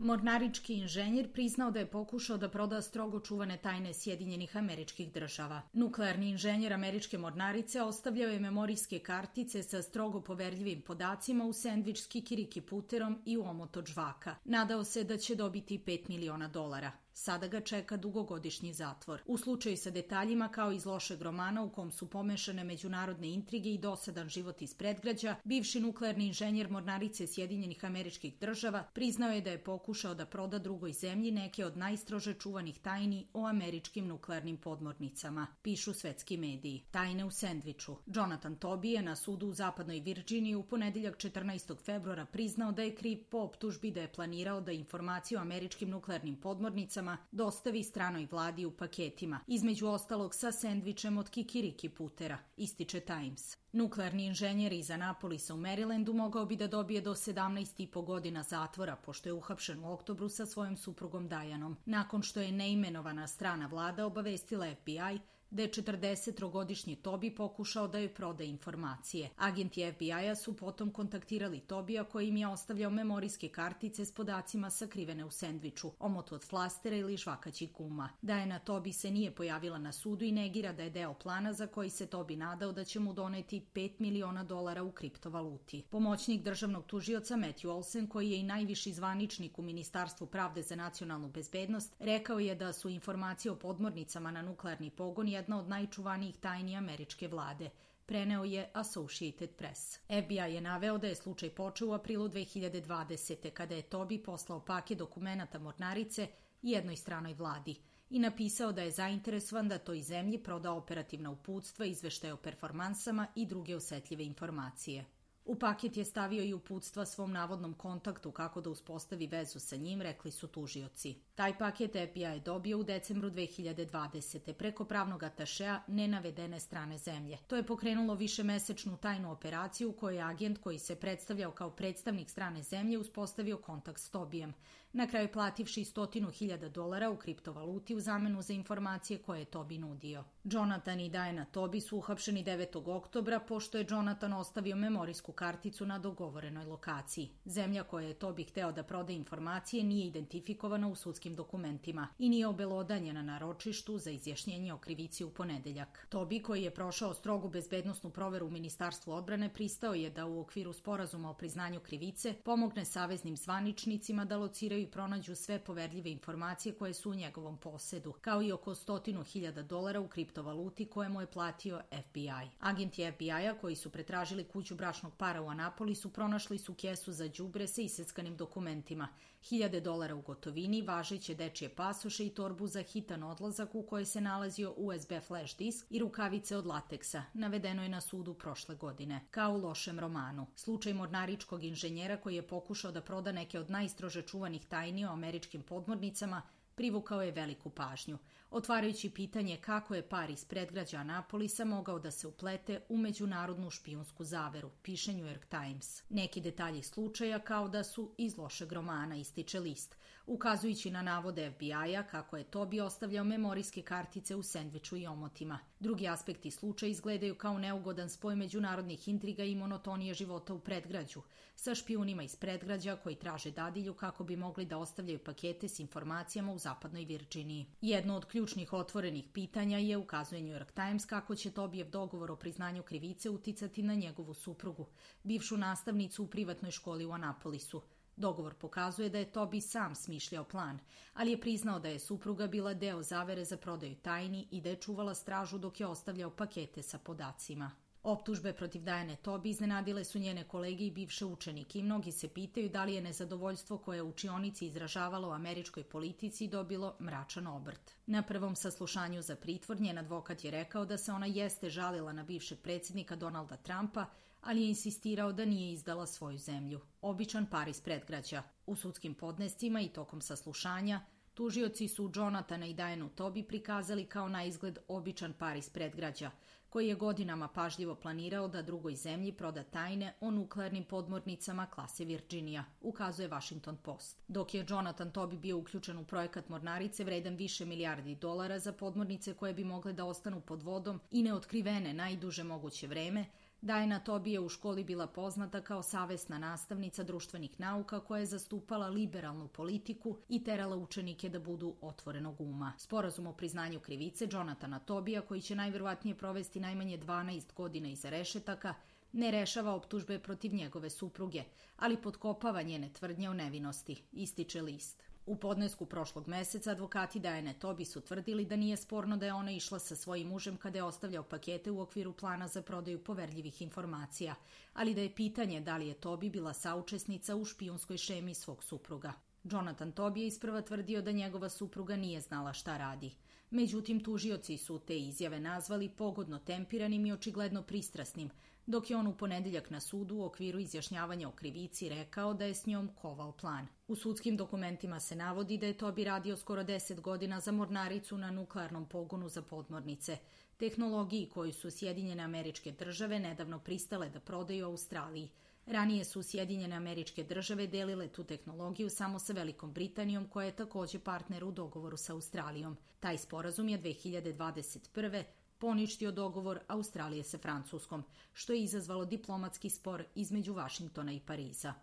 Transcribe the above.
Mornarički inženjer priznao da je pokušao da proda strogo čuvane tajne Sjedinjenih Američkih Država. Nuklearni inženjer američke mornarice ostavljao je memorijske kartice sa strogo poverljivim podacima u sendvič s kikiriki puterom i u omot od žvaka. Nadao se da će dobiti $5 miliona. Sada ga čeka dugogodišnji zatvor. U slučaju sa detaljima kao iz lošeg romana u kom su pomešane međunarodne intrige i dosadan život iz predgrađa, bivši nuklearni inženjer mornarice Sjedinjenih Američkih Država priznao je da je pokušao da proda drugoj zemlji neke od najstrože čuvanih tajni o američkim nuklearnim podmornicama, pišu svetski mediji. Tajne u sendviču. Jonathan Toby je na sudu u zapadnoj Virđiniji u ponedeljak 14. februara priznao da je kriv po optužbi da je planirao da informacije o američkim nuklearnim podmornicama dostavi stranoj vladi u paketima, između ostalog sa sendvičem od kikiriki putera, ističe Times. Nuklearni inženjer iz Anapolisa u Marylandu mogao bi da dobije do 17,5 godina zatvora, pošto je uhapšen u oktobru sa svojom suprugom Dianom, nakon što je neimenovana strana vlada obavestila FBI da je 40-godišnji Toby pokušao da joj proda informacije. Agenti FBI-a su potom kontaktirali Tobija koji im je ostavljao memorijske kartice s podacima sakrivene u sendviču, omot od flastera ili žvakaćih guma. Diana Toby se nije pojavila na sudu i negira da je deo plana za koji se Toby nadao da će mu doneti $5 miliona u kriptovaluti. Pomoćnik državnog tužioca Matthew Olsen, koji je i najviši zvaničnik u Ministarstvu pravde za nacionalnu bezbednost, rekao je da su informacije o podmornicama na nuklearni pogon jedna od najčuvanijih tajni američke vlade, preneo je Associated Press. FBI je naveo da je slučaj počeo u aprilu 2020. kada je Toby poslao paket dokumenata mornarice jednoj stranoj vladi i napisao da je zainteresovan da toj zemlji proda operativna uputstva, izveštaje o performansama i druge osetljive informacije. U paket je stavio i uputstva svom navodnom kontaktu kako da uspostavi vezu sa njim, rekli su tužioci. Taj paket FBI je dobio u decembru 2020. preko pravnog atašea nenavedene strane zemlje. To je pokrenulo višemesečnu tajnu operaciju u kojoj je agent koji se predstavljao kao predstavnik strane zemlje uspostavio kontakt s Tobijem, na kraju plativši $100,000 u kriptovaluti u zamenu za informacije koje je Toby nudio. Jonathan i Diana Toby su uhapšeni 9. oktobra pošto je Jonathan ostavio memorijsku karticu na dogovorenoj lokaciji. Zemlja koja je Toby hteo da proda informacije nije identifikovana u sudskim dokumentima i nije obelodanjena na ročištu za izjašnjenje o krivici u ponedeljak. Toby, koji je prošao strogu bezbednosnu proveru u Ministarstvu odbrane, pristao je da u okviru sporazuma o priznanju krivice pomogne saveznim zvaničnicima da lociraju i pronađu sve poverljive informacije koje su u njegovom posedu, kao i oko $100,000 u kriptovaluti koje mu je platio FBI. Agenti FBI-a koji su pretražili kuću bračnog para u Anapolisu pronašli su kesu za đubre sa iseckanim dokumentima, $1,000 u gotovini, važeće dečije pasoše i torbu za hitan odlazak u kojoj se nalazio USB flash disk i rukavice od lateksa, navedeno je na sudu prošle godine. Kao u lošem romanu. Slučaj mornaričkog inženjera koji je pokušao da proda neke od najstrože čuvanih tajni o američkim podmornicama privukao je veliku pažnju, otvarajući pitanje kako je par iz predgrađa Anapolisa mogao da se uplete u međunarodnu špijunsku zaveru, piše New York Times. Neki detalji slučaja kao da su iz lošeg romana, ističe list, ukazujući na navode FBI-a kako je Toby ostavljao memorijske kartice u sendviču i omotima. Drugi aspekti slučaja izgledaju kao neugodan spoj međunarodnih intriga i monotonije života u predgrađu, sa špijunima iz predgrađa koji traže dadilju kako bi mogli da ostavljaju pakete s informacijama u zapadnoj Virđiniji. Jedno od ključnih otvorenih pitanja je, ukazuje New York Times, kako će Tobijev dogovor o priznanju krivice uticati na njegovu suprugu, bivšu nastavnicu u privatnoj školi u Anapolisu. Dogovor pokazuje da je Toby sam smišljao plan, ali je priznao da je supruga bila deo zavere za prodaju tajni i da je čuvala stražu dok je ostavljao pakete sa podacima. Optužbe protiv Diane Toby iznenadile su njene kolege i bivše učenike i mnogi se pitaju da li je nezadovoljstvo koje je u učionici izražavalo u američkoj politici dobilo mračan obrt. Na prvom saslušanju za pritvor njen advokat je rekao da se ona jeste žalila na bivšeg predsjednika Donalda Trumpa, ali je insistirao da nije izdala svoju zemlju. Običan par iz predgrađa. U sudskim podnescima i tokom saslušanja tužioci su Jonathana i Dianu Toby prikazali kao na izgled običan par iz predgrađa, koji je godinama pažljivo planirao da drugoj zemlji proda tajne o nuklearnim podmornicama klase Virginia, ukazuje Washington Post. Dok je Jonathan Toby bio uključen u projekat mornarice vredan više milijardi dolara za podmornice koje bi mogle da ostanu pod vodom i neotkrivene najduže moguće vreme, Diana Toby je u školi bila poznata kao savesna nastavnica društvenih nauka koja je zastupala liberalnu politiku i terala učenike da budu otvorenog uma. Sporazum o priznanju krivice Jonathana Tobija, koji će najverovatnije provesti najmanje 12 godina iza rešetaka, ne rešava optužbe protiv njegove supruge, ali potkopava njene tvrdnje o nevinosti, ističe list. U podnesku prošlog meseca advokati Diane Toby su tvrdili da nije sporno da je ona išla sa svojim mužem kada je ostavljao pakete u okviru plana za prodaju poverljivih informacija, ali da je pitanje da li je Toby bila saučesnica u špijunskoj šemi svog supruga. Jonathan Toby je isprva tvrdio da njegova supruga nije znala šta radi. Međutim, tužioci su te izjave nazvali pogodno tempiranim i očigledno pristrasnim, dok je on u ponedeljak na sudu u okviru izjašnjavanja o krivici rekao da je s njom kovao plan. U sudskim dokumentima se navodi da je Toby radio skoro 10 godina za mornaricu na nuklearnom pogonu za podmornice, tehnologiji koju su Sjedinjene Američke Države nedavno pristale da prodaju Australiji. Ranije su Sjedinjene Američke Države delile tu tehnologiju samo sa Velikom Britanijom, koja je takođe partner u dogovoru sa Australijom. Taj sporazum je 2021. poništio dogovor Australije sa Francuskom, što je izazvalo diplomatski spor između Vašingtona i Pariza.